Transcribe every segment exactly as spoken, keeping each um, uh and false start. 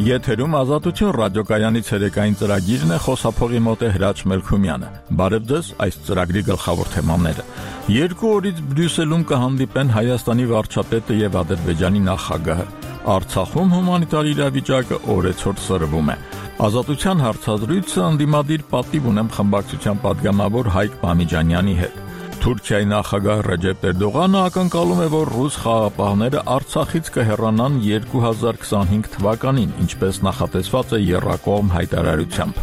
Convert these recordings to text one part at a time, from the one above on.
Եթերում Ազատություն ռադիոկայանի ցերեկային ծրագիրն է, խոսափողի մոտ է Հրաչ Մելքումյանը։ Բարև ձեզ, այս ծրագրի գլխավոր թեմաները։ Երկու օրից Բրյուսելում կհանդիպեն Հայաստանի վարչապետը եւ Ադրբեջանի նախագահը։ Արցախում հումանիտար իրավիճակը օրեցօր սրվում է։ Ազատության հարցազրույցը ընդդիմադիր պատիվ ունեմ խմբակցության պատգամավոր Հայկ Բամիջանյանի հետ։ Թուրքիայի նախագահ Ռեջեփ Էրդողանը ակնկալում է, որ ռուս խաղաղապահները Արցախից կհեռանան երկու հազար քսանհինգ թվականին, ինչպես նախատեսված է եռակողմ հայտարարությամբ։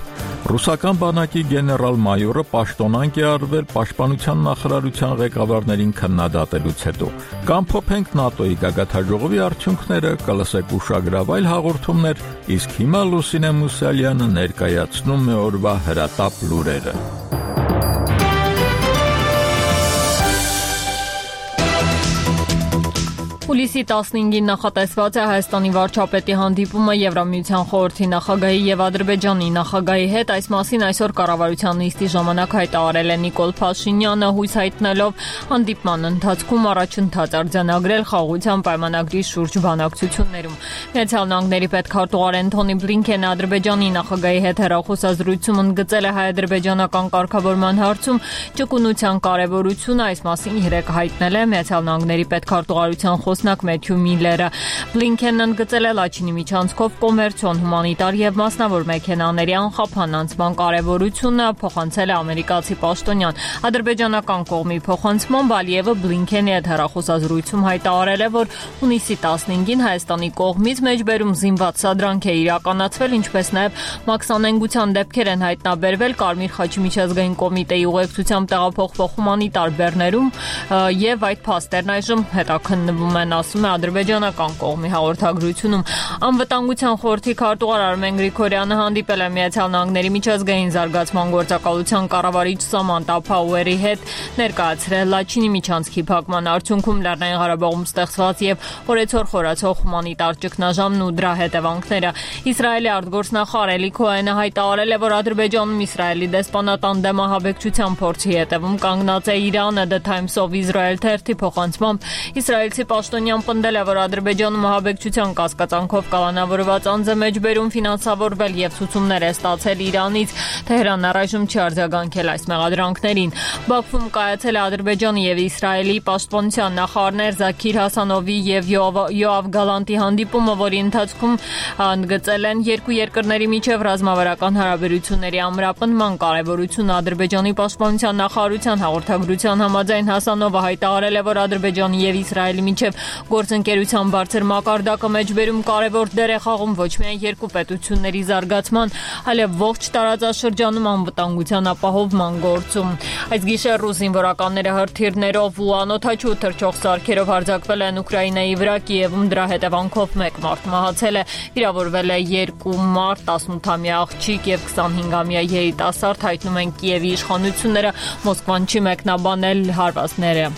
Ռուսական բանակի գեներալ-մայորը պաշտոնանկ է արվել պաշտպանության նախարարության ղեկավարներին քննադատելուց հետո։ Կամփոփենք ՆԱՏՕ-ի գագաթնաժողովի արդյունքները, կլսեք ուշագրավ այլ հաղորդումներ, իսկ հիմա Լուսինե Մուսալյանը ներկայացնում է օրվա հրատապ լուրերը։ Հուլիսի տասնհինգին նախատեսված է Հայաստանի վարչապետի հանդիպումը Եվրամիության խորհրդի նախագահի եւ Ադրբեջանի նախագահի հետ։ Այս մասին այսօր կառավարության նիստի ժամանակ հայտարարել է Նիկոլ Փաշինյանը, հույս հայտնելով հանդիպման ընթացքում առաջընթաց արձանագրել խաղաղության պայմանագրի շուրջ բանակցություններում։ Միացյալ Նահանգների պետքարտուղար Էնթոնի Բլինքենը Ադրբեջանի նախագահի հետ հեռախոսազրույցում ընդգծել է հայ-ադրբեջանական կարգավորման հարցում ճկունության կարևորությունը։ Այս մասին երեկ հայտնել է Միացյալ Նահանգների պետքարտուղարության խոսնակ Մեթյու Միլլերը։ Բլինքենն ընդգծել է Լաչինի միջանցքով կոմերցիոն, հումանիտար եւ մասնավոր մեքենաների անխափան անցման կարեւորությունը, փոխանցել է ամերիկացի պաշտոնյան։ Ադրբեջանական կողմի փոխանցմամբ Ալիևը Բլինքենի հետ հեռախոսազրույցում հայտարարել է, որ հունիսի տասնհինգին Հայաստանի կողմից մեջբերում զինված սադրանք է իրականացվել, ինչպես նաեւ մաքսանենգության դեպքեր են հայտնաբերվել Կարմիր խաչի միջազգային կոմիտեի ուղեկցությամբ տեղափոխվող հումանիտար բեռներում եւ այդ փաստերն այժմ հետաքննվում են, ասում է ադրբեջանական կողմի հաղորդագրությունում։ Անվտանգության խորհրդի քարտուղար Արմեն Գրիգորյանը հանդիպել է Միացյալ Նահանգների միջազգային զարգացման գործակալության կառավարիչ Սամանթա Փաուերի հետ, ներկայացրել Լաչինի միջանցքի փակման արդյունքում Լեռնային Ղարաբաղում ստեղծված եւ օրեցօր խորացող հումանիտար ճգնաժամն ու դրա հետևանքները։ Իսրայելի արտգործնախարար Էլի Քոհենը հայտարարել է, որ Ադրբեջանում Իսրայելի դեսպանատան դեմ ահաբեկչության փորձի հետևում կանգնած է Իրանը։ The Times of Israel թերթի փոխանցմամբ իսրայելցի պաշտոնյան պնդել է, որ Ադրբեջանում ահաբեկչության կասկածանքով կալանավորված անձ է մեջբերում ֆինանսավորվել եւ ցուցումներ է ստացել Իրանից։ Թեհրանն առայժմ չի արձագանքել այս մեղադրանքներին։ Բաքվում կայացել է Ադրբեջանի եւ Իսրայելի պաշտպանության նախարարներ Զաքիր Հասանովի եւ Յոավ Գալանտի հանդիպումը, որի ընթացքում ընդգծել են երկու երկրների միջև ռազմավարական հարաբերությունների ամրապնդման կարեւորությունը։ Ադրբեջանի պաշտպանության նախարարության հաղորդագրության համաձայն Հասանովը հայտարարել է, որ Ադրբեջանի եւ Իսրայելի միջև գործընկերության բարձր մակարդակը մեջբերում կարևոր դեր է խաղում ոչ միայն երկու պետությունների զարգացման, այլև ողջ տարածաշրջանում անվտանգության ապահովման գործում։ Այս գիշեր ռուս զինվորականները հրթիռներով ու անօդաչու թռչող սարքերով հարձակվել են Ուկրաինայի վրա, Կիևում դրա հետևանքով մեկ մարդ մահացել է, վիրավորվել է երկու մարդ, տասնութամյա աղջիկ եւ քսանհինգամյա երիտասարդ, հայտնում են Կիևի իշխանությունները, Մոսկվան չի մեկնաբանել հարվածները։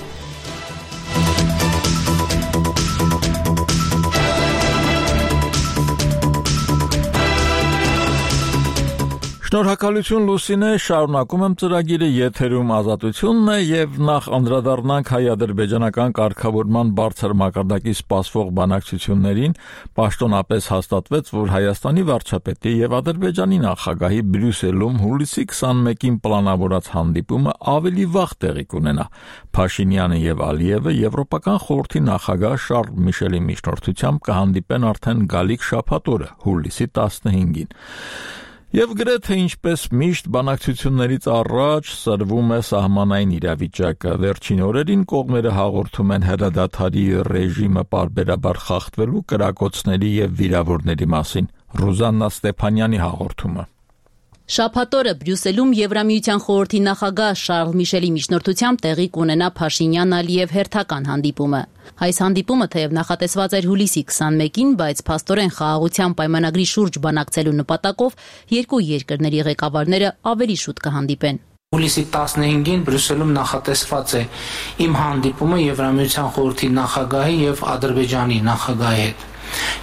Շնորհակալություն Լուսինե, շարունակում եմ ծրագիրը, եթերում Ազատությունն է եւ նախ անդրադառնանք հայ-ադրբեջանական կարգավորման բարձր մակարդակի սպասվող բանակցություններին, պաշտոնապես հաստատվեց, որ Հայաստանի վարչապետի եւ Ադրբեջանի նախագահի Բրյուսելում հուլիսի քսանմեկին պլանավորած հանդիպումը ավելի վաղ տեղի կունենա։ Փաշինյանը եւ Ալիևը Եվրոպական խորհրդի նախագահ Շարլ Միշելի միջնորդությամբ կհանդիպեն արդեն գալիք շաբաթ օրը, հուլիսի տասնհինգին։ Եվ գրեթե ինչպես միշտ բանակցություններից առաջ սրվում է սահմանային իրավիճակը։ Վերջին օրերին կողմերը հաղորդում են հրադադարի ռեժիմը պարբերաբար խախտվելու կրակոցների եւ վիրավորների մասին։ Ռուզաննա Ստեփանյանի հաղորդումը։ Շաբաթ օրը Բրյուսելում Եվրամիության խորհրդի նախագահ Շարլ Միշելի միջնորդությամբ տեղի կունենա Փաշինյան-Ալիև հերթական հանդիպումը։ Այս հանդիպումը թեև նախատեսված էր հուլիսի քսանմեկին, բայց փաստորեն խաղաղության պայմանագրի շուրջ բանակցելու նպատակով երկու երկրների ղեկավարները ավելի շուտ կհանդիպեն։ Հուլիսի տասնհինգին Բրյուսելում նախատեսված է իմ հանդիպումը Եվրամիության խորհրդի նախագահի եւ Ադրբեջանի նախագահի հետ։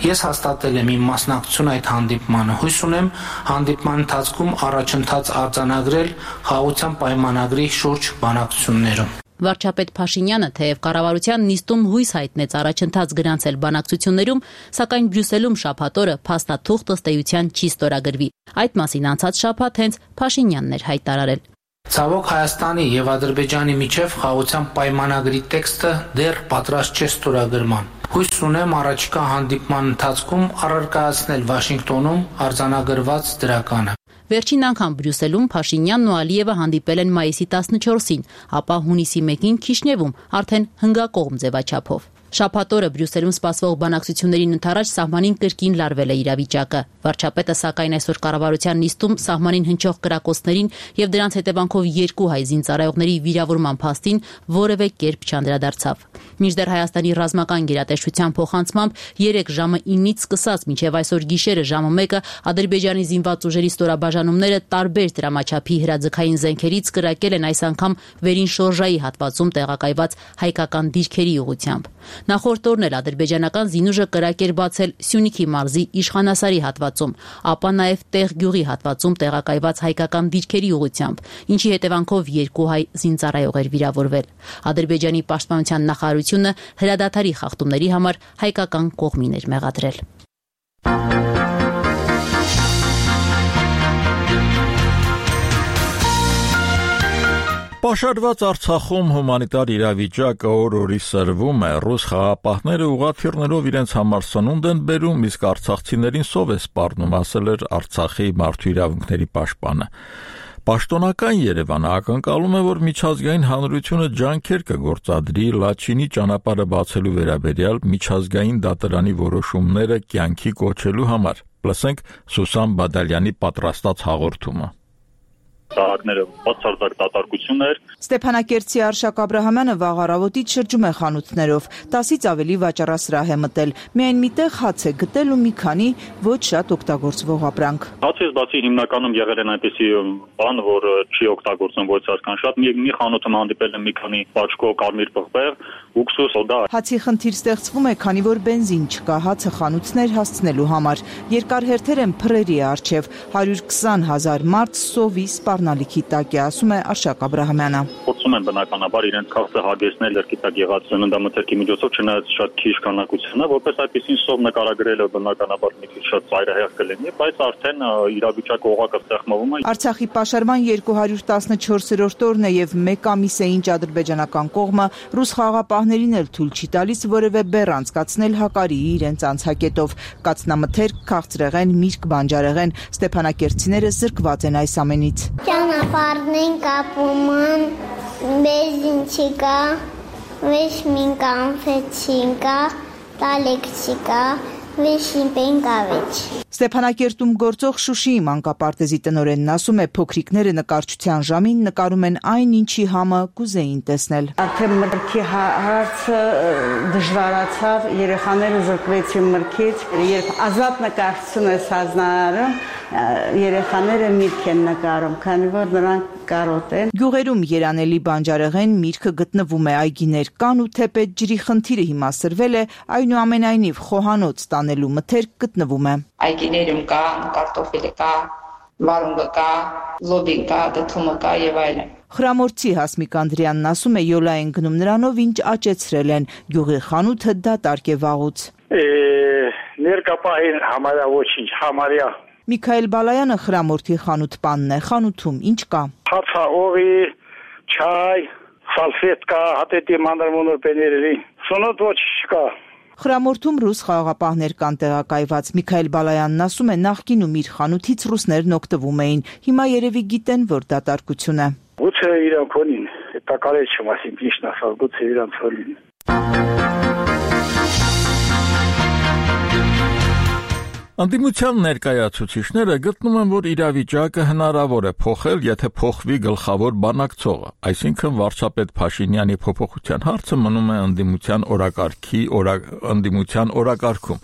Ես հաստատել եմ իմ մասնակցությունը այդ հանդիպմանը։ Հույս ունեմ հանդիպման ընթացքում առաջընթաց արձանագրել խաղաղության պայմանագրի շուրջ բանակցություններում։ Վարչապետ Փաշինյանը թեև կառավարության նիստում հույս հայտնեց առաջընթաց գրանցել բանակցություններում, սակայն Բրյուսելում շաբաթ օրը փաստաթուղթ ըստ էության չի ստորագրվի։ Այդ մասին անցած շաբաթ հենց Փաշինյանն էր հայտարարել։ Ցավոք Հայաստանի եւ Ադրբեջանի միջև խաղաղության պայմանագրի տեքստը դեռ պատրաստ չէ ստորագրման։ Հույս ունեմ առաջիկա հանդիպման ընթացքում առարկայացնել Վաշինգտոնում արձանագրված դրականը։ Վերջին անգամ Բրյուսելում Փաշինյանն ու Ալիևը հանդիպել են մայիսի տասնչորսին, ապա հունիսի մեկին Քիշնևում, արդեն հնգակողմ ձևաչափով։ Շաբաթ օրը Բրյուսելում սպասվող բանակցություններին ընդառաջ սահմանին կրկին լարվել է իրավիճակը։ Վարչապետը սակայն այսօր կառավարության նիստում սահմանին հնչող կրակոցներին եւ դրանց հետևանքով երկու հայ զինծառայողների վիրավորման փաստին որևէ կերպ չանդրադարձավ։ Մինչդեռ Հայաստանի ռազմական գերատեսչության փոխանցմամբ երեք ժամը ինից սկսած մինչև այսօր գիշերը ժամը մեկը Ադրբեջանի զինված ուժերի ստորաբաժանումները տարբեր դրամաչափի հրաձգային զենքերից կրակել են այս անգամ վերին շորժայի հատվածում տեղակայված հայկական դիրքերի ուղղությամբ։ Նախորդ օրն էլ ադրբեջանական զինուժը կրակ էր բացել Սյունիքի մարզի Իշխանասարի հատվածում, ապա նաև Տեղ գյուղի հատվածում տեղակայված հայկական դիրքերի ուղղությամբ, ինչի հետևանքով երկու հայ զինծառայող էր վիրավորվել։ Ադրբեջանի պաշտպանության նախարարությունը հրադադարի խախտումների համար հայկական կողմին էր մեղադրել։ Պաշարված Արցախում հումանիտար իրավիճակը օր-օրի սրվում է, ռուս խաղապահները ուղղաթիռներով իրենց համար սնունդ են բերում, իսկ արցախցիներին սով է սպառնում, ասել էր Արցախի մարդու իրավունքների պաշտպանը։ Պաշտոնական Երևանը ակնկալում է, որ միջազգային հանրությունը ջանքեր կգործադրի Լաչինի ճանապարհը բացելու վերաբերյալ միջազգային դատարանի որոշումները կյանքի կոչելու համար։ Լսենք Սուսան Բադալյանի պատրաստած հաղորդումը։ Տարակները բացարձակ դատարկություն էր։ Ստեփանակերտցի Արշակ Աբրահամյանը վաղ առավոտից շրջում է խանութներով, տասից ավելի վաճառասրահ է մտել, միայն միտեղ հաց է գտել ու մի քանի ոչ շատ օգտագործվող ապրանք։ Հացից բացի հիմնականում եղել են այնպիսի բան, որ չի օգտագործվում ոչ այսքան շատ, մի մի խանութում հանդիպել եմ մի քանի պաչկո կարմիր պղպեղ, ուքսուս, սոդա։ Հացի խնդիր ստեղծվում է, քանի որ բենզին չկա հացը խանութներ հասցնելու համար։ Երկար հերթեր են փռերի առջև, հարյուր քսան հազար մարդ սովի սպառնալիքի տակ է, ասում է Արշակ Աբրահամյանը։ Փորձում են բնականաբար իրենց քաղցը հագեցնել լրկի տակ եղած սննդամթերքի միջոցով, չնայած շատ քիչ քանակությանը, որպես այդպեսին սով նկարագրելը բնականաբար մի քիչ շատ ծայրահեղ կլինի, բայց արդեն իրավիճակը օղակը ստեղծվում է։ Արցախի պաշարման երկու հարյուր տասնչորսերորդ օրն է եւ մեկ ամիս է ինչ ադրբեջանական կողմը ռուս խաղապահներին էլ թույլ չի տալիս որևէ բեռ անցկացնել Հակարիի իրենց անցակետով։ Կացնամթերք, քաղցրեղեն, միրգ, բանջարեղեն, ստեփանակերտցիները զրկված են այս ամենից։ Ճանապարհն կապում են, բենզին չկա, ոչ մին կանֆետ չկա, տալեկ չկա, վեշին պենկավիչ։ Ստեփանակերտում գործող Շուշիի մանկապարտեզի տնօրենն ասում է, փոքրիկները նկարչության ժամին նկարում են այն, ինչի համը կուզեին տեսնել։ Արդեն մրգի հարցը դժվարացավ, երեխաները զրկվեցին մրգից, երբ ազատ նկարչություն է սազնարարում, երեխաները միրգ են նկարում, քանի որ նրանք կարոտ են։ Գյուղերում երանելի բանջարեղեն միրգը գտնվում է, այգիներ կան ու թեպետ ջրի խնդիրը հիմա սրվել է, այնուամենայնիվ խոհանոց տանելու մթերք գտնվում է։ Այգիներում կա, կարտոֆիլը կա, վարունգը կա, լոբին կա, դդումը կա եւ այլն։ Խրամորցի Հասմիկ Անդրեյանն ասում է, յոլա են գնում նրանով, ինչ աճեցրել են, գյուղի խանութը դատարկ է վաղուց։ Ներկապահին համարյա ոչինչ, համարյա։ Միքայել Բալայանը խրամորթի խանութպանն է, խանութում ինչ կա։ Հացա, օղի, չայ, սալֆետկա, հատետի մանրմոնոր պեներելի, սոնոտ ոչ չկա։ Խրամորթում ռուս խաղաղապահներ կան տեղակայված։ Միքայել Բալայանն ասում է, նախկինում իր խանութից ռուսներն օգտվում էին, հիմա երևի գիտեն, որ դատարկություն է։ Գուցե իրանք ունին, տակարել չեմ ասին, ճիշտ ասած, գուցե իրանք ունին։ Անդիմության ներկայացուցիչները գտնում են, որ իրավիճակը հնարավոր է փոխել, եթե փոխվի գլխավոր բանակցողը, այսինքն վարչապետ Փաշինյանի փոփոխության հարցը մնում է անդիմության օրակարգի օրա, անդիմության օրակարգում։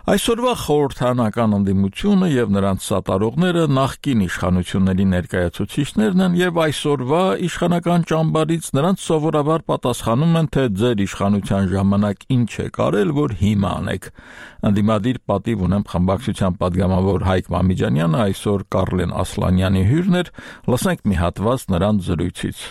Այսօրվա խորհրդանական անդիմությունը եւ նրանց սատարողները նախկին իշխանությունների ներկայացուցիչներն են եւ այսօրվա իշխանական ճամբարից նրանց սովորաբար պատասխանում են, թե ձեր իշխանության ժամանակ ինչ եք արել, որ հիմա անեք։ Անդիմադիր պատիվ ունեմ խմբակցության падգամավոր Հայկ Մամիջանյանը այսօր Կարլեն Ասլանյանի հյուրն էր, լսենք մի հատված նրանց զրույցից։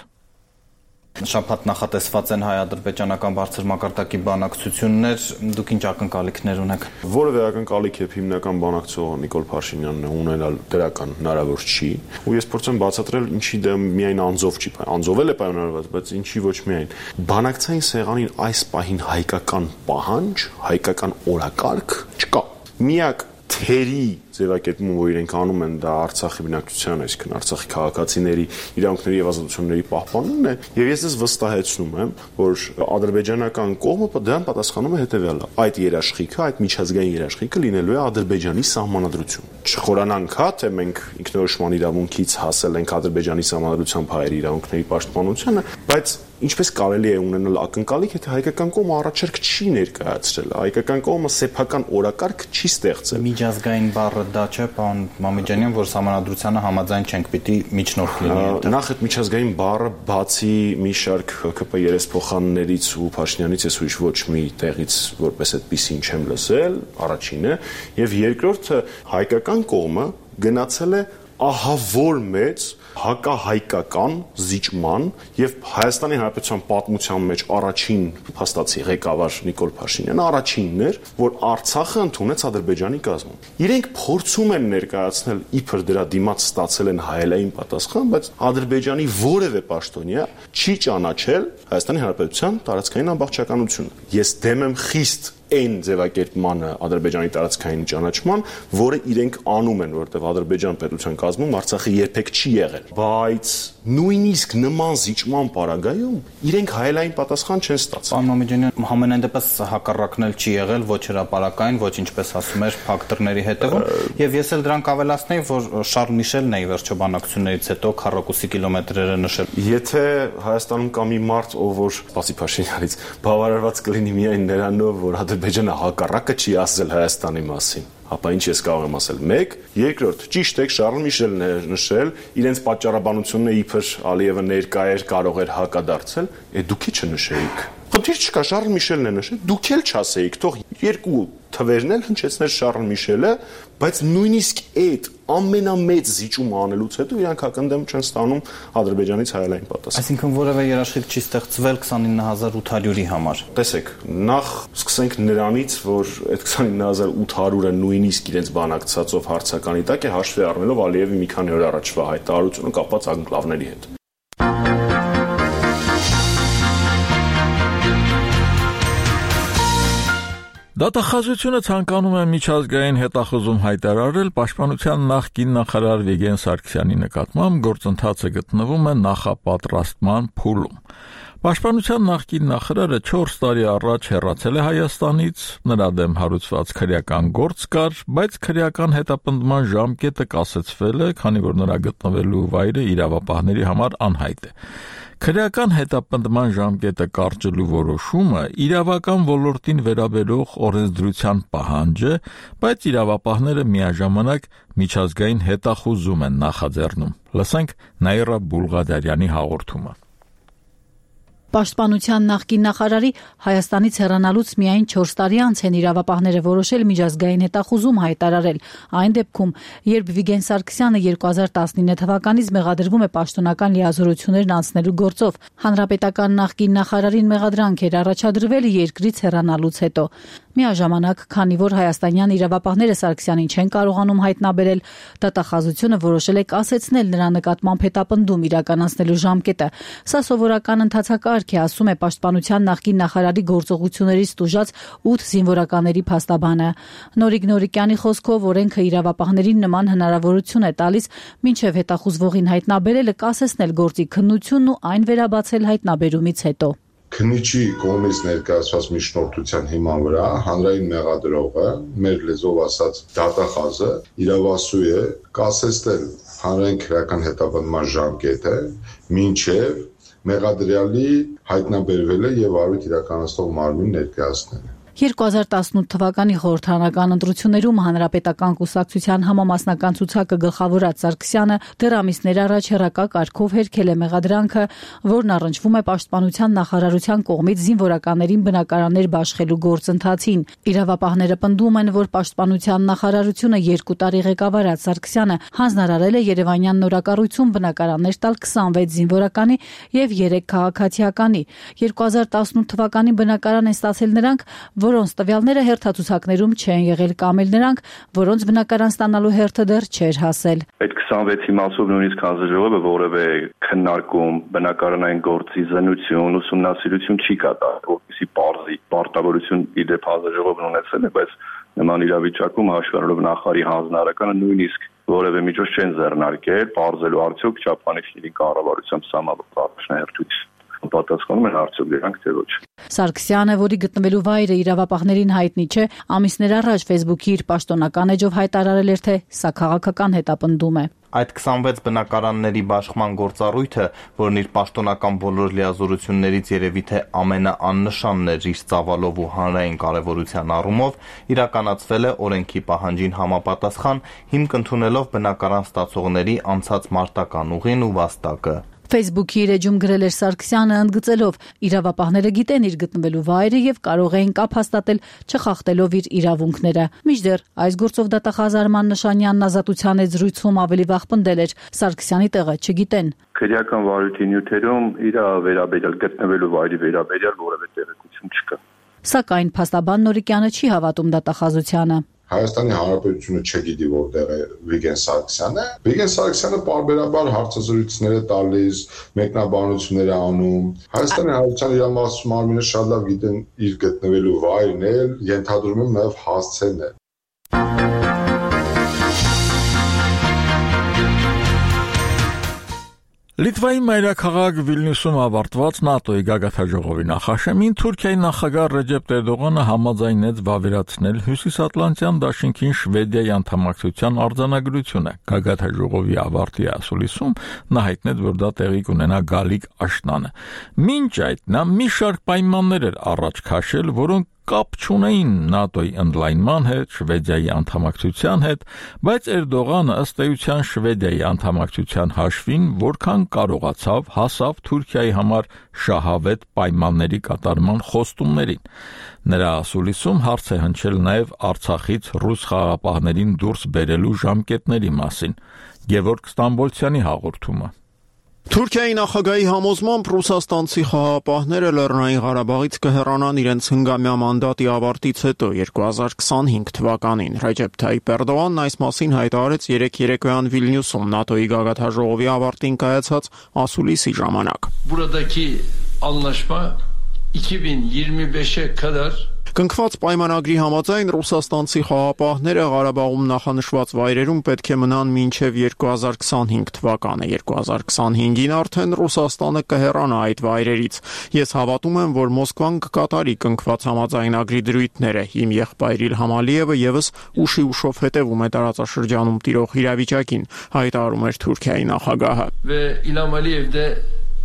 Շաբաթ նախատեսված են հայ-ադրբեջանական բարձր մակարդակի բանակցություններ, դուք ինչ ակնկալիքներ ունեք։ Որևէ ակնկալիք եւ հիմնական բանակցող Նիկոլ Փաշինյանն է ունենալ դրական հնարավոր չի, ու ես փորձեմ բացատրել ինչի դեմ միայն անձով չի, անձով էլ է պայմանավորված, բայց ինչի ոչ միայն։ Բանակցային սեղանին այս պահին հայկական պահանջ, հայկական օրակարգ չկա։ Միակ թերի ձևակերպումը, որ իրենք անում են, դա Արցախի բնակչության, այսինքն Արցախի քաղաքացիների իրավունքների եւ ազատությունների պահպանումն է, եւ ես դες վստահեցնում եմ, որ ադրբեջանական կողմը դրան պատասխանում է հետեւյալը. այդ երաշխիքը, այդ միջազգային երաշխիքը լինելու է Ադրբեջանի սահմանադրություն։ Չխորանանք, հա, թե մենք ինքնորոշման իրավունքից հասել ենք Ադրբեջանի սահմանադրությամբ հայերի իրավունքների պաշտպանությանը, բայց ինչպես կարելի է ունենալ ակնկալիք, եթե հայկական կողմը առաջարկ չի ներկայացրել, հայկական կողմը սեփական օրակարգ չի ստեղծել։ Միջազգային բառը դա չէ, պարոն Մամեջանյան, որ սահմանադրությանը համաձայն չենք, պիտի միջնորդ լինի։ Նախ այդ միջազգային բառը բացի մի շարք ՀԿՊ երեսփոխաններից ու Փաշինյանից ես ուրիշ ոչ մի տեղից որպես այդպեսին չեմ լսել, առաջինը, եւ երկրորդը հայկական կողմը գնացել է ահավոր մեծ հակահայկական զիջման եւ Հայաստանի Հանրապետության պատմության մեջ առաջին հաստատի ղեկավար Նիկոլ Փաշինյանը առաջինն էր, որ Արցախը ընդունեց Ադրբեջանի կազմում։ Իրենք փորձում են ներկայացնել իբր դրա դիմաց ստացել են հայելային պատասխան, բայց Ադրբեջանի որևէ պաշտոնյա չի ճանաչել Հայաստանի Հանրապետության տարածքային ամբողջականությունը։ Ես դեմ եմ խիստ այն ձևակերպմանը Ադրբեջանի տարածքային ճանաչման, որը իրենք անում են, որտեղ Ադրբեջան պետության կազմում Արցախը երբեք չի եղել, բայց նույնիսկ նման զիջման պարագայում իրենք հայելային պատասխան չեն ստացել։ Պարոն Մամեջանյան, համենայն դեպս հակառակն էլ չի եղել ոչ հրապարակային, ոչ ինչպես ասում էր փակ դռների հետևում, եւ ես էլ դրանք ավելացնեի, որ Շարլ Միշելն է ի վերջո բանակցություններից հետո քառակուսի կիլոմետրերը նշել։ Եթե Հայաստանում կա մի մարդ, ով որ բացի Փաշինյանից բավարարված կլինի միայն նրանով, որ Ադրբեջանը հակառակը չի ասել Հայաստանի մասին, ապա ինչ ես կարող եմ ասել։ Մեկ, երկրորդ, ճիշտ է, Շարլ Միշելն է նշել, իրենց պատճառաբանությունը իբր Ալիևը ներկա էր, կարող էր հակադարձել, է դուք ի՞նչ նշեիք։ Խնդիր չկա, Շարլ Միշելն է նշել, դուք էլ չասեիք, թող երկու թվերն էլ հնչեցներ Շարլ Միշելը, բայց նույնիսկ այդ ամենամեծ զիջումը անելուց հետո իրանք հակընդդեմ չեն ստանում Ադրբեջանից հայելային պատասխան։ Այսինքն որևէ երաշխիք չի ստեղծվել քսանինը հազար ութ հարյուրի համար։ Տեսեք, նախ սկսենք նրանից, որ այդ քսանինը հազար ութ հարյուրը նույնիսկ իրենց բանակցածով հարցականի տակ է, հաշվի առնելով Ալիևի մի քանի օր առաջվա հայտարարությունը կապված անկլավների հետ։ Դատախազությունը ցանկանում է միջազգային հետախուզում հայտարարել պաշտպանության նախկին նախարար Վիգեն Սարգսյանի նկատմամբ գործընթացը գտնվում է նախապատրաստման փուլում։ Պաշտպանության նախկին նախարարը չորս տարի առաջ հեռացել է Հայաստանից, նրա դեմ հարուցված քրեական գործ կար, բայց քրեական հետապնդման ժամկետը կասեցվել է, քանի որ նրա գտնվելու վայրը իրավապահների համար անհայտ է։ Քրեական հետապնդման ժամկետը կարճելու որոշումը իրավական ոլորտին վերաբերող օրենսդրության պահանջ է, բայց իրավապահները միաժամանակ միջազգային հետախուզում են նախաձեռնում։ Լսենք Նաիրա Բուլղադարյանի հաղորդումը։ Պաշտպանության նախկին նախարարի Հայաստանից հեռանալուց միայն չորս տարի անց են իրավապահները որոշել միջազգային հետախուզում հայտարարել։ Այն դեպքում, երբ Վիգեն Սարգսյանը երկու հազար տասնինը թվականից մեղադրվում է պաշտոնական լիազորություններն անցնելու գործով, հանրապետական նախկին նախարարին մեղադրանք էր առաջադրվել երկրից հեռանալուց հետո։ Միաժամանակ, քանի որ հայաստանյան իրավապահները Սարգսյանին չեն կարողանում հայտնաբերել, դատախազությունը որոշել է կասեցնել նրա նկատմամբ հետապնդում իրականացնելու ժամկետը։ Սա սովորական ընթացակարգ է, ասում է պաշտպանության նախկին նախարարի գործողություններից տուժած ութ զինվորականների փաստաբանը։ Նորիկ Նորիկյանի խոսքով օրենքը իրավապահներին նման հնարավորություն է տալիս մինչև հետախուզվողին հայտնաբերելը կասեցնել գործի քննությունն ու այն վերաբացել հայտնաբերումից հետո։ Քննիչի կողմից ներկայացված միջնորդության հիման վրա հանրային մեղադրողը, մեր լեզվով ասած դատախազը, իրավասու է կասեցնել հանրային քրեական հետապնդման ժամկետը մինչև մեղադրյալի հայտնաբերվելը եւ արույթ իրականացնող մարմին ներկայացնելը։ երկու հազար տասնութ թվականի խորհրդարանական ընտրություններում հանրապետական կուսակցության համամասնական ցուցակը գլխավորած Սարգսյանը դեռ ամիսներ առաջ հեռակա կարգով հերքել է մեղադրանքը, որն առնչվում է պաշտպանության նախարարության կողմից զինվորականներին բնակարաններ բաշխելու գործընթացին։ Իրավապահները պնդում են, որ պաշտպանության նախարարությունը երկու տարի ղեկավարած Սարգսյանը հանձնարարել է Երևանյան նորակառույցում բնակարաններ տալ քսանվեց զինվորականի եւ երեք քաղաքացիականի։ երկու հազար տասնութ թվականին բնակարան են ստացել նրանք, որոնց տվյալները հերթացուցակներում չեն եղել կամ էլ նրանք, որոնց բնակարան ստանալու հերթը դեռ չէր հասել։ Այդ քսանվեցի մասով նույնիսկ հանձնաժողովը որևէ քննարկում, բնակարանային գործի զննություն, ուսումնասիրություն չի կատարել, որպեսզի բարձի պարտավորություն իդեպ հանձնաժողովն ունեցել է, բայց նման իրավիճակում հաշվառելով նախարարի հանձնարարականը նույնիսկ որևէ միջոց չեն ձեռնարկել, բարձելու արդյոք չափանիշների կառավարությամբ սահմանված առաջնահերթություն պատասխանում են արդյոք դրանք թե ոչ։ Սարգսյանը, որի գտնվելու վայրը իրավապահներին հայտնի չէ, ամիսներ առաջ Facebook-ի իր պաշտոնական էջով հայտարարել էր, թե սա քաղաքական հետապնդում է։ Այդ քսանվեց բնակարանների բաշխման գործառույթը, որն իր պաշտոնական բոլոր լիազորություններից երևի թե ամենաաննշանն էր իր ծավալով ու հանրային կարևորության առումով, իրականացվել է օրենքի պահանջին համապատասխան, հիմք ընդունելով բնակարան ստացողների անցած մարտական ուղին ու վաստակը։ Facebook-ի իր էջում գրել էր Սարգսյանը, ընդգծելով իրավապահները գիտեն իր գտնվելու վայրը եւ կարող էին կապ հաստատել, չխախտելով իր իրավունքները։ Մինչդեռ այս գործով դատախազ Արման Նշանյանն Ազատության հետ զրույցում ավելի վաղ պնդել էր, Սարգսյանի տեղը չգիտեն։ Քրեական վարույթի նյութերում իր վերաբերյալ գտնվելու վայրի վերաբերյալ որևէ տեղեկություն չկա։ Սակայն փաստաբան Նորիկյանը չի հավատում դատախազությանը։ Հայաստանի Հանրապետությունը չգիտի որտեղ է Վիգեն Սարգսյանը։ Վիգեն Սարգսյանը պարբերաբար հարցազրույցներ է տալիս, մեկնաբանություններ է անում։ Հայաստանի Հանրապետության իրավամասնություն մարմինը շատ լավ գիտեն իր գտնվելու վայրն է, ենթադրում եմ նաև հասցեն է։ Լիտվայի մայրաքաղաք Վիլնյուսում ավարտված ՆԱՏՕ-ի գագաթնաժողովի նախաշեմին Թուրքիայի նախագահ Ռեջեփ Էրդողանը համաձայնեց վավերացնել Հյուսիսատլանտյան դաշինքին Շվեդիայի անդամակցության արձանագրությունը։ Գագաթնաժողովի ավարտի ասուլիսում նա հայտնեց, որ դա տեղի կունենա գալիք աշնանը։ Մինչ այդ նա մի շարք պայմաններ էր առաջ քաշել, որոնք կապ չունեին ՆԱՏՕ-ի ընդլայնման հետ, Շվեդիայի անդամակցության հետ, բայց Էրդողանը ըստ էության Շվեդիայի անդամակցության հաշվին որքան կարողացավ հասավ Թուրքիայի համար շահավետ պայմանների կատարման խոստումներին։ Նրա ասուլիսում հարց է հնչել նաև Արցախից ռուս խաղաղապահներին դուրս բերելու ժամկետների մասին։ Գևորգ Ստամբոլցյանի հաղորդումը։ Թուրքիայի նախագահի համոզմամբ ռուսաստանցի խաղաղապահները Լեռնային Ղարաբաղից կհեռանան իրենց հնգամյա մանդատի ավարտից հետո երկու հազար քսանհինգ թվականին։ Ռեջեփ Թայիփ Էրդողանն այս մասին հայտարարեց երեկ երեկոյան Վիլնյուսում ՆԱՏՕ-ի գագաթնաժողովի ավարտին կայացած ասուլիսի ժամանակ։ Buradaki anlaşma iki bin yirmi beşe kadar Կնքված պայմանագրի համաձայն ռուսաստանցի խաղաղապահները Ղարաբաղում նախանշված վայրերում պետք է մնան մինչև երկու հազար քսանհինգ թվականը։ երկու հազար քսանհինգին արդեն Ռուսաստանը կհեռանա այդ վայրերից։ Ես հավատում եմ, որ Մոսկվան կկատարի կնքված համաձայնագրի դրույթները։ Իմ եղբայր Իլհամ Ալիևը եւս ուշի ուշով հետևում է տարածաշրջանում տիրող իրավիճակին, հայտարարում էր Թուրքիայի նախագահը։ Ve İlham Aliyev de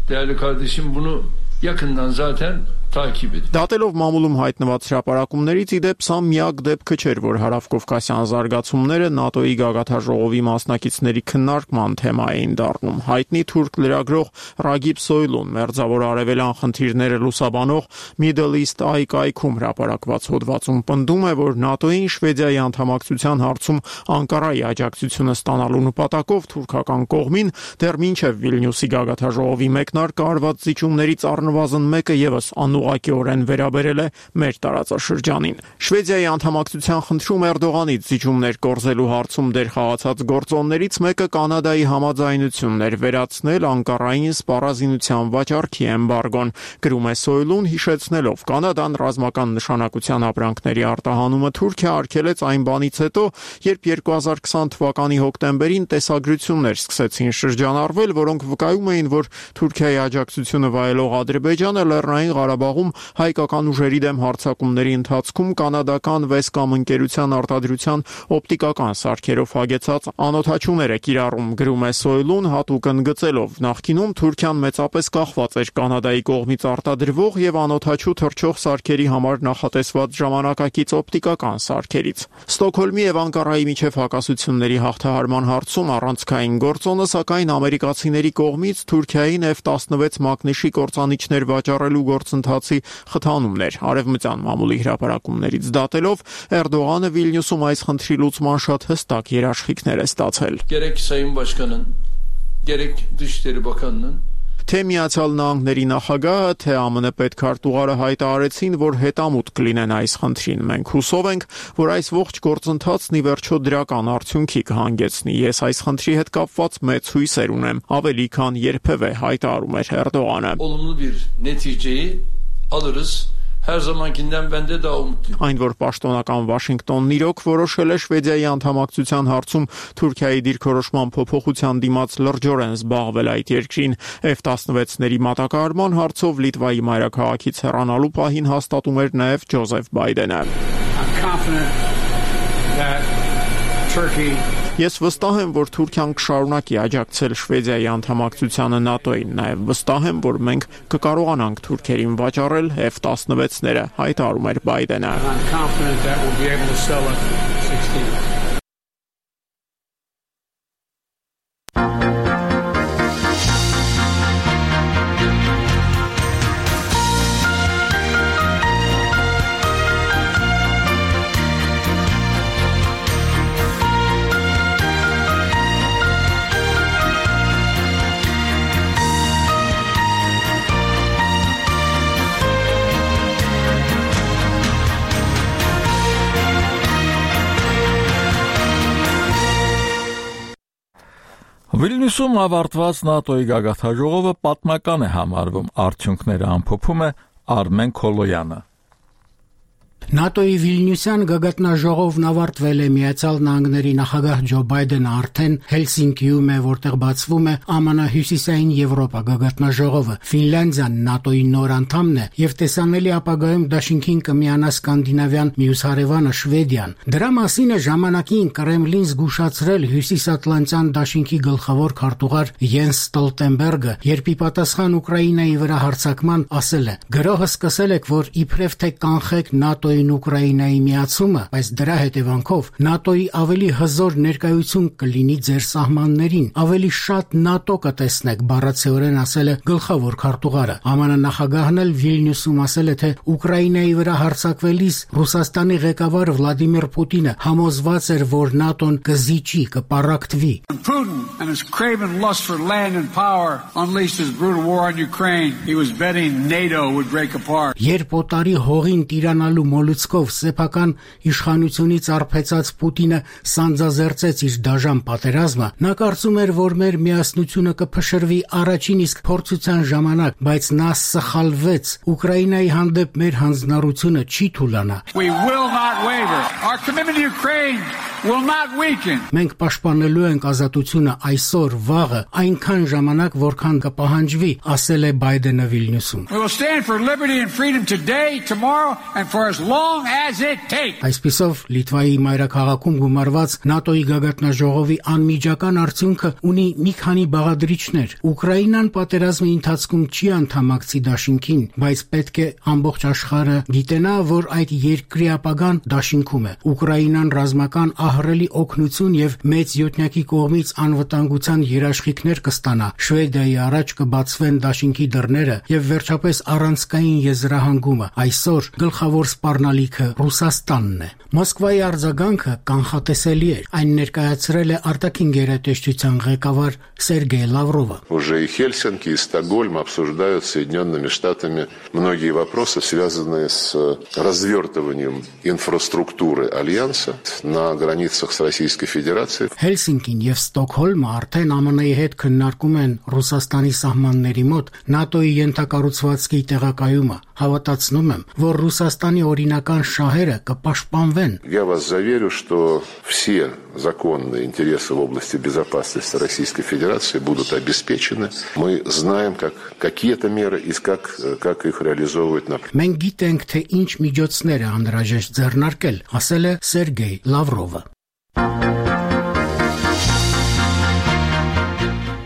değerli kardeşim bunu yakından zaten Դատելով մամուլում հայտնված հրապարակումներից ի դեպ սա միակ դեպքը չէր, որ հարավկովկասյան զարգացումները ՆԱՏՕ-ի գագաթնաժողովի մասնակիցների քննարկման թեմա էին դառնում։ Հայտնի թուրք լրագրող Ռագիբ Սոյլուն մերձավոր արևելյան խնդիրները լուսաբանող Middle East Eye կայքում հրապարակված հոդվածում պնդում է, որ ՆԱՏՕ-ին Շվեդիայի անդամակցության հարցում Անկարայի աջակցությունը ստանալու նպատակով թուրքական կողմին դեռ մինչև Վիլնյուսի գագաթնաժողովի մեկնարկը արված զիջումներից առնվազն մեկը եւս անու Ակիորեն վերաբերել է մեր տարածաշրջանին։ Շվեդիայի անդամակցության խնդրում Էրդողանից զիջումներ կորզելու հարցում դեր խաղացած գործոններից մեկը Կանադայի համաձայնությունն էր վերացնել Անկարային սպառազինության վաճառքի էմբարգոն, գրում է Սոյլուն, հիշեցնելով Կանադան ռազմական նշանակության ապրանքների արտահանումը Թուրքիա արգելեց այն բանից հետո, երբ երկու հազար քսան թվականի հոկտեմբերին տեսագրություններ սկսեցին շրջանառվել, որոնք վկայում էին, որ Թուրքիայի աջակցությունը վայելող Ադրբեջանը Լեռնային Ղարաբաղ Ղարաբաղում հայկական ուժերի դեմ հարձակումների ընթացքում կանադական Վեսկամ ընկերության արտադրության օպտիկական սարքերով հագեցած անօդաչուներ է կիրառում, գրում է Soil-ուն հատուկ ընդգծելով. նախկինում Թուրքիան մեծապես կախված էր Կանադայի կողմից արտադրվող եւ անօդաչու թռչող սարքերի համար նախատեսված ժամանակակից օպտիկական սարքերից։ Ստոկհոլմի եւ Անկարայի միջև հակասությունների հաղթահարման հարցում առանցքային գործոնը սակայն ամերիկացիների կողմից Թուրքիային F տասնվեց մակնիշի կործանիչներ վաճառելու գործընթացի խթանումն էր։ Արևմտյան մամուլի հրապարակումներից դատելով Էրդողանը Վիլնյուսում այս խնդրի լուծման շատ հստակ երաշխիքներ է ստացել։ Gerek Sayın Başkanın, gerek Dışişleri Bakanı'nın Թե Միացյալ Նահանգների նախագահը, թե ԱՄՆ պետքարտուղարը հայտարարեցին, որ հետամուտ կլինեն այս խնդրին։ Մենք հուսով ենք, որ այս ողջ գործընթացն ի վերջո դրական արդյունքի կհանգեցնի։ Ես այս խնդրի հետ կապված մեծ հույսեր ունեմ, ավելի քան երբևէ, հայտարարում էր Էրդողանը։ Olumlu bir neticeyi alırız. Her zamankinden bende daha umutluyum. Այն որ պաշտոնական Վաշինգտոնն իրոք որոշել է Շվեդիայի անդամակցության հարցում Թուրքիայի դիրքորոշման փոփոխության դիմաց լրջորեն զբաղվել այդ երկրին F տասնվեցների մատակարարման հարցով Լիտվայի մայրաքաղաքից հեռանալու պահին հաստատում էր նաև Ջոզեֆ Բայդենը։ Ես վստահ եմ, որ Թուրքիան կշարունակի աջակցել Շվեդիայի անդամակցությանը ՆԱՏՕ-ին, նաև վստահ եմ, որ մենք կկարողանանք թուրքերին վաճառել F տասնվեցները, հայտարարում էր Բայդենը։ Վիլնյուսում ավարտված ՆԱՏՕ-ի գագաթնաժողովը պատմական է համարվում, արդյունքները ամփոփում է Արմեն Քոլոյանը։ ՆԱՏՕ-ի Վիլնյուսյան գագաթնաժողովն ավարտվել է Միացյալ Նահանգների նախագահ Ջո Բայդենը արդեն Հելսինկիում է, որտեղ բացվում է ԱՄՆ Հյուսիսային Եվրոպա գագաթնաժողովը։ Ֆինլանդիան ՆԱՏՕ-ի նոր անդամն է եւ տեսանելի ապագայում դաշինքին կմիանա Սկանդինավյան մյուս հարևանը Շվեդիան։ Դրա մասին է ժամանակին Կրեմլին զգուշացրել Հյուսիսատլանտյան դաշինքի գլխավոր քարտուղար Յենս Ստոլտենբերգը, երբ ի պատասխան Ուկրաինայի վրա հարձակման ասել է. «Գրոհը սկսել եք, որ իբրև թե կանխեք ՆԱՏՕ-ին Ուկրաինայի միացումը, բայց դրա հետևանքով ՆԱՏՕ-ի ավելի հզոր ներկայություն կլինի ձեր սահմաններին, ավելի շատ ՆԱՏՕ կտեսնեք», բառացիորեն ասել է գլխավոր քարտուղարը։ ԱՄՆ նախագահն էլ Վիլնյուսում ասել է, թե Ուկրաինայի վրա հարձակվելիս Ռուսաստանի ղեկավար Վլադիմիր Պուտինը համոզված էր, որ ՆԱՏՕ-ն կզիջի, կպառակտվի։ Putin and his craven lust for land and power unleashed his brutal war on Ukraine. He was betting NATO would break apart. Երբ օտարի հողին տիրանալու մոլուցկով սեփական իշխանությունից արբեցած Պուտինը սանձազերծեց իր դաժան պատերազմը, նա կարծում էր, որ մեր միասնությունը կփշրվի առաջին իսկ փորձության ժամանակ, բայց նա սխալվեց։ Ուկրաինայի հանդեպ մեր հանձնառությունը չի թուլանա։ We will not waver. Our commitment to Ukraine will not weaken. Մենք պաշտպանելու ենք ազատությունը այսօր, վաղը, այնքան ժամանակ, որքան կպահանջվի, ասել է Բայդենը Վիլնյուսում։ We will stand for liberty and freedom today, tomorrow and for as long as it takes. Այսպիսով Լիտվայի մայրաքաղաքում գումարված ՆԱՏՕ-ի գագաթնաժողովի անմիջական արդյունքը ունի մի քանի բաղադրիչներ։ Ուկրաինան պատերազմի ընթացքում չի անդամակցի դաշինքին, բայց պետք է ամբողջ աշխարհը գիտենա, որ այդ երկրի ապագան դաշինքում է։ Ուկրաինան ռազմական ահռելի օգնություն եւ մեծ յոթնյակի կողմից անվտանգության երաշխիքներ կստանա։ Շվեդիայի առաջ կբացվեն դաշինքի դռները եւ վերջապես առանցքային եզրահանգումը։ Այսօր գլխավոր սպառնալիքը Ռուսաստանն է։ Մոսկվայի արձագանքը կանխատեսելի էր։ Այն ներկայացրել է արտաքին գերատեսչության ղեկավար Սերգեյ Լավրովը։ Уже и Хельсинки, и Стокгольм обсуждают с Соединенными Штатами многие вопросы, связанные с развертыванием инфраструктуры Альянса на границе границах с Российской Федерацией. Հելսինկին եւ Ստոկհոլմը արդեն Ամն Ի հետ քննարկում են Ռուսաստանի սահմանների մոտ ՆԱՏՕ-ի ենթակառուցվածքի տեղակայումը։ Հավատացնում եմ, որ Ռուսաստանի օրինական շահերը կպաշտպանվեն։ Я вас заверю, что все законные интересы в области безопасности Российской Федерации будут обеспечены. Мы знаем, как, какие это меры и как, как их реализовывать на практике. Մենք գիտենք, թե ինչ միջոցներ է անհրաժեշտ ձեռնարկել, ասել է Սերգեյ Լավրովը։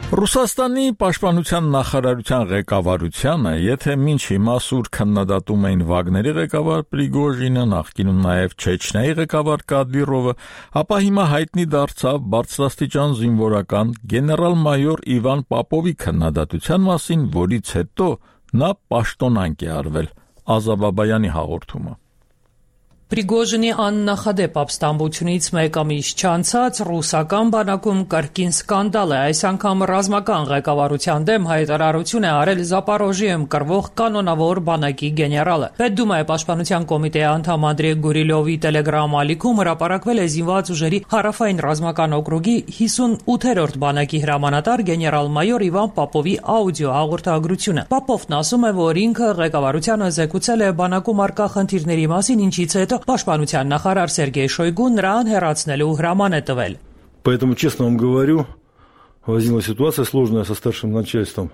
Ռուսաստանի պաշտպանության նախարարության ղեկավարությանը, եթե մինչ հիմա սուր քննադատում էին Վագների ղեկավար Պրիգոժինը, նախկինում նաև Չեչնիայի ղեկավար Կադիրովը, ապա հիմա հայտնի դարձավ բարձրաստիճան զինվորական գեներալ-մայոր Իվան Պապովի քննադատության մասին, որից հետո նա պաշտոնանկ է արվել։ Ազաբաբայանի հաղորդումը։ Պրիգոժինի աննախադեպ ապստամբությունից մեկ ամիս չանցած ռուսական բանակում կրկին սկանդալ է, այս անգամ ռազմական ղեկավարության դեմ հայտարարություն է արել Զապորոժիայում կռվող կանոնավոր բանակի գեներալը։ Պետդումայի պաշտպանության կոմիտեի անդամ Անդրեյ Գուրիլովի տելեգրամ ալիքում հրապարակվել է զինված ուժերի հարավային ռազմական օկրուգի հիսունութերորդ բանակի հրամանատար գեներալ-մայոր Իվան Պապովի աուդիո հաղորդագրությունը։ Պապովն ասում է, որ ինքը ղեկավարությանը զեկուցել է բանակում առկա խնդիրների մասին, ինչից հետո Պաշտպանության նախարար Սերգեյ Շոյգուն նրան հեռացնելու հրաման է տվել։ Поэтому, честно вам говорю, возникла ситуация сложная со старшим начальством,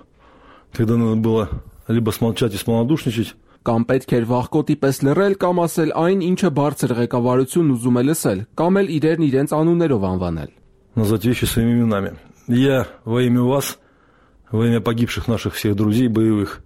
когда надо было либо смолчать и смолодушничать, կամ պետք էր վախկոտի պես լռել կամ ասել այն, ինչը բարձր ղեկավարությունն ուզում է լսել, կամ էլ իրեն իրենց անուններով անվանել։ Назвать вещи своими именами. Я во имя вас, во имя погибших наших всех друзей боевых,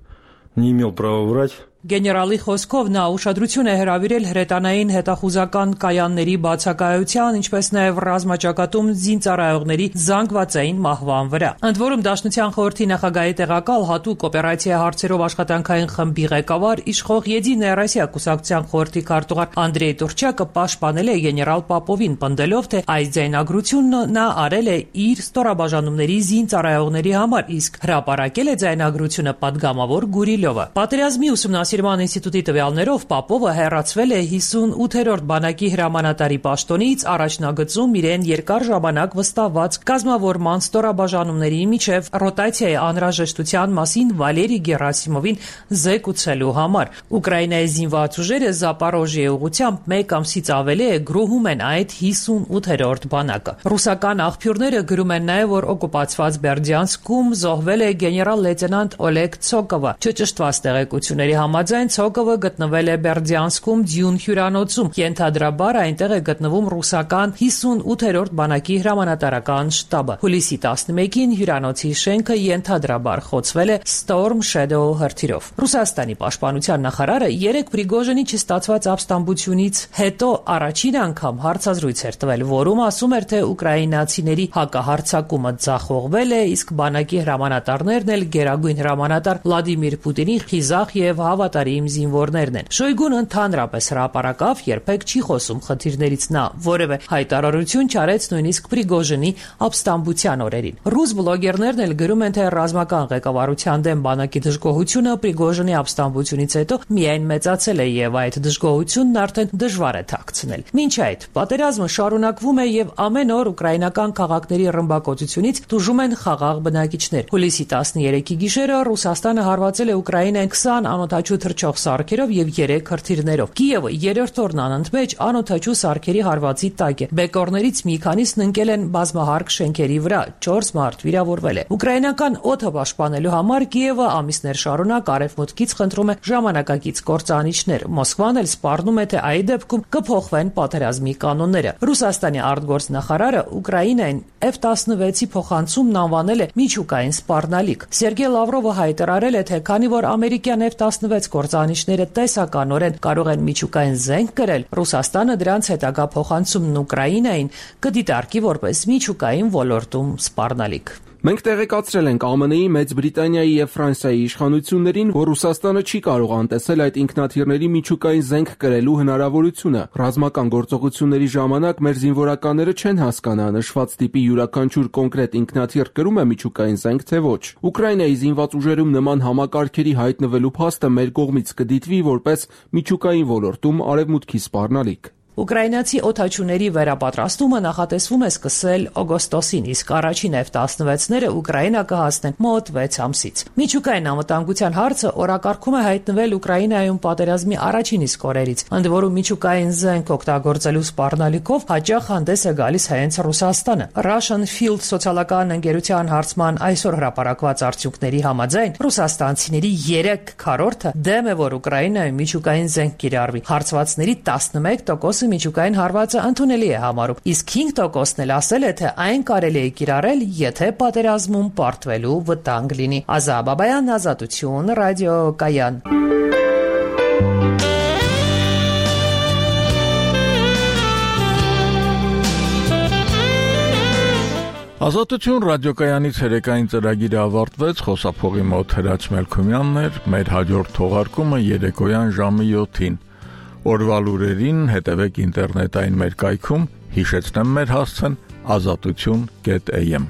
не имел права врать. Գեներալի խոսքով նա ուշադրություն է հրավիրել հրետանային հետախուզական կայանների բացակայության, ինչպես նաև ռազմաճակատում զինծառայողների զանգվածային մահվան վրա։ Ընդ որում Դաշնության խորհրդի նախագահի տեղակալ հատուկ օպերացիա հարցերով աշխատանքային խմբի ղեկավար իշխող Եդինայա Ռոսիա կուսակցության խորհրդի քարտուղար Անդրեյ Տուրչակը պաշտպանել է գեներալ Պապովին, պնդելով, թե այս ձայնագրությունը նա արել է իր ստորաբաժանումների զինծառայողների համար, իսկ հրապարակել է ձայնագրությունը պատգամավոր Գուրիլովը։ Պատերազմի ուսումնասիրման ինստիտուտի տվյալներով Պապովը հեռացվել է հիսունութերորդ բանակի հրամանատարի պաշտոնից առաջնագծում իրեն երկար ժամանակ վստահված կազմավորման ստորաբաժանումների միջև ռոտացիայի անհրաժեշտության մասին Վալերի Գերասիմովին զեկուցելու համար։ Ուկրաինայի զինված ուժերը Զապորոժիայի ուղղությամբ մեկ ամսից ավելի է գրոհում են այդ հիսունութերորդ բանակը։ Ռուսական աղբյուրները գրում են նաև, որ օկուպացված Բերդյանսկում զոհվել է գեներալ-լեյտենանտ Օլեգ Ցոկովը։ Չճշտված տեղեկությունների համաձայն Ցոկովը գտնվել է Բերդյանսկում Դյուն հյուրանոցում, ենթադրաբար այնտեղ է գտնվում ռուսական հիսունութերորդ բանակի հրամանատարական շտաբը։ Հուլիսի տասնմեկին հյուրանոցի շենքը ենթադրաբար խոցվել է Storm Shadow հրթիռով։ Ռուսաստանի պաշտպանության նախարարը երեք Պրիգոժինի չստացված ապստամբությունից հետո առաջին անգամ հարցազրույց էր տվել, որում ասում էր, թե ուկրաինացիների հակահարձակումը ձախողվել է, իսկ բանակի հրամանատարներն էլ գերագույն հրամանատար Վլադիմիր Պուտինի խիզախ եւ հավատարիմ զինվորներն են։ Շոյգուն ընդհանրապես հրապարակավ երբեք չի խոսում խնդիրներից, նա որևէ հայտարարություն չարեց նույնիսկ Պրիգոժինի ապստամբության օրերին։ Ռուս բլոգերներն էլ գրում են, թե ռազմական ղեկավարության դեմ բանակի դժգոհությունը Պրիգոժինի ապստամբությունից հետո միայն մեծացել է եւ այդ դժգոհությունն արդեն դժվար է թաքցնել։ Մինչ այդ պատերազմը շարունակվում է եւ ամեն օր ուկրաինական քաղաքների ռմբակոծությունից տուժում են խաղաղ բնակիչներ։ Հուլիսի տասներեքի գիշերը Ռուսաստանը հարվածել է Ուկրաինային քսան անօդաչու թռչող սարքերով եւ երեք հրթիռներով։ Կիևը երրորդ օրն անընդմեջ անօդաչու սարքերի հարվածի տակ է։ Բեկորներից մի քանիսն ընկել են բազմահարկ շենքերի վրա, չորս մարդ վիրավորվել է։ Ուկրաինական օդը պաշտպանելու համար Կիևը ամիսներ շարունակ արևմուտքից խնդրում է ժամանակակից կործանիչներ։ Մոսկվան էլ սպառնում է, թե այդ դեպքում կփոխվեն պատերազմի կանոնները։ Ռուսաստանի արտգործնախարարը Ուկրաինային F տասնվեցի փոխանցումն անվանել է միջուկային սպառնալիք։ Սերգեյ Լավրովը հայտարարել է, թե քանի որ ամերիկյան F տասնվեց կործանիչները տեսականորեն կարող են միջուկային զենք կրել, Ռուսաստանը դրանց հետագա փոխանցումն Ուկրաինային կդիտարկի որպես միջուկային ոլորտում սպառնալիք։ Մենք տեղեկացրել ենք ԱՄՆ-ի, Մեծ Բրիտանիայի եւ Ֆրանսիայի իշխանություններին, որ Ռուսաստանը չի կարող անտեսել այդ ինքնաթիռների միջուկային զենք կրելու հնարավորությունը։ Ռազմական գործողությունների ժամանակ մեր զինվորականները չեն հասկանա նշված տիպի յուրաքանչյուր կոնկրետ ինքնաթիռ կրում է միջուկային զենք, թե ոչ։ Ուկրաինայի զինված ուժերում նման համակարգերի հայտնվելու փաստը մեր կողմից կդիտվի որպես միջուկային ոլորտում արևմուտքի սպառնալիք։ Ուկրաինացի օդաչուների վերապատրաստումը նախատեսվում է սկսել օգոստոսին, իսկ առաջին Էֆ տասնվեցները Ուկրաինա կհասնեն մոտ վեց ամսից։ Միջուկային անվտանգության հարցը օրակարգում է հայտնվել Ուկրաինայում պատերազմի առաջին իսկ օրերից, ընդ որում միջուկային զենք օգտագործելու սպառնալիքով հաճախ հանդես է գալիս հենց Ռուսաստանը։ Russian Field սոցիալական ընկերության հարցման այսօր հրապարակված արդյունքների համաձայն ռուսաստանցիների երեք քառորդը դեմ է, որ Ուկրաինայում միջուկային զենք կիրառվի։ Հարցվածների տասնմեկ տոկոսը միջուկային հարվածը ընդունելի է համարում, իսկ հինգ տոկոսն էլ ասել է, թե այն կարելի է կիրառել, եթե պատերազմում պարտվելու վտանգ լինի։ Ազա Բաբայան, Ազատություն, ռադիոկայան։ Ազատություն ռադիոկայանի ցերեկային ծրագիրը ավարտվեց, խոսափողի մոտ Հրաչ Մելքումյանն էր, մեր հաջորդ թողարկումը երեկոյան ժամը յոթին։ Օրվա լուրերին հետևեք ինտերնետային մեր կայքում, հիշեցնեմ մեր հասցեն ազատություն կետ էյ էմ